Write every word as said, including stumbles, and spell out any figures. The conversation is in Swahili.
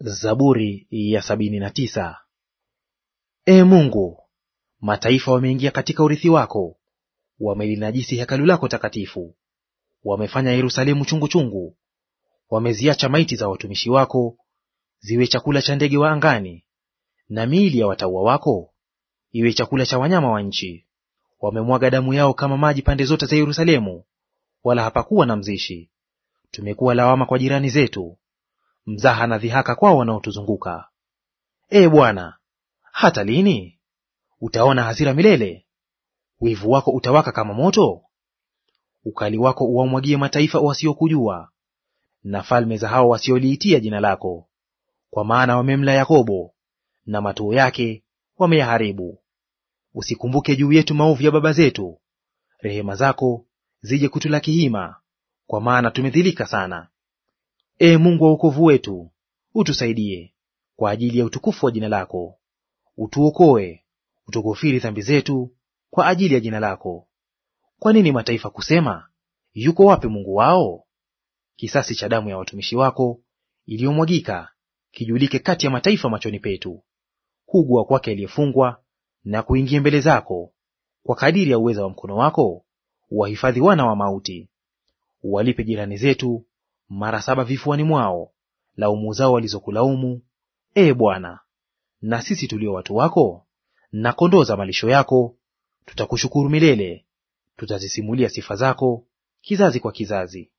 Zaburi ya sabini na tisa. Ee Mungu, mataifa wameingia katika urithi wako, wamelinajisi hekalu lako takatifu. Wamefanya Yerusalemu chungu chungu, wameziacha maiti za watumishi wako ziwe chakula cha ndege wa angani, na miili ya watauwa wako iwe chakula cha wanyama wa nchi. Wamemwaga damu yao kama maji pande zote za Yerusalemu, wala hapakuwa na mzishi. Tumekuwa lawama kwa jirani zetu, mzaha na dhihaka kwao wanaotuzunguka. Ee Bwana, hata lini? Utaona hasira milele? Wivu wako utawaka kama moto? Ukali wako uwamwagie mataifa wasiokujua, na falme za hao wasioliitia jina lako. Kwa maana wamemla Yakobo, na matuo yake wameyaharibu. Usikumbuke juu yetu maovu ya baba zetu, rehema zako zije kutulaki hima, kwa maana tumedhilika sana. Ee Mungu wa wokovu wetu, utusaidie kwa ajili ya utukufu wa jina lako. Utuokoe, utukufiri dhambi zetu kwa ajili ya jina lako. Kwa nini mataifa kusema, yuko wapi Mungu wao? Kisasi cha damu ya watumishi wako iliyomwagika kijulike kati ya mataifa machoni petu. Kugua kwake aliyefungwa na kuingia mbele zako, kwa kadiri ya uweza wa mkono wako uwahifadhi wana wa mauti. Uwalipe jirani zetu mara saba vifuani mwao laumu zao walizokulaumu, Ee Bwana. Na sisi tulio watu wako na kondoo za malisho yako tutakushukuru milele, tutazisimulia sifa zako kizazi kwa kizazi.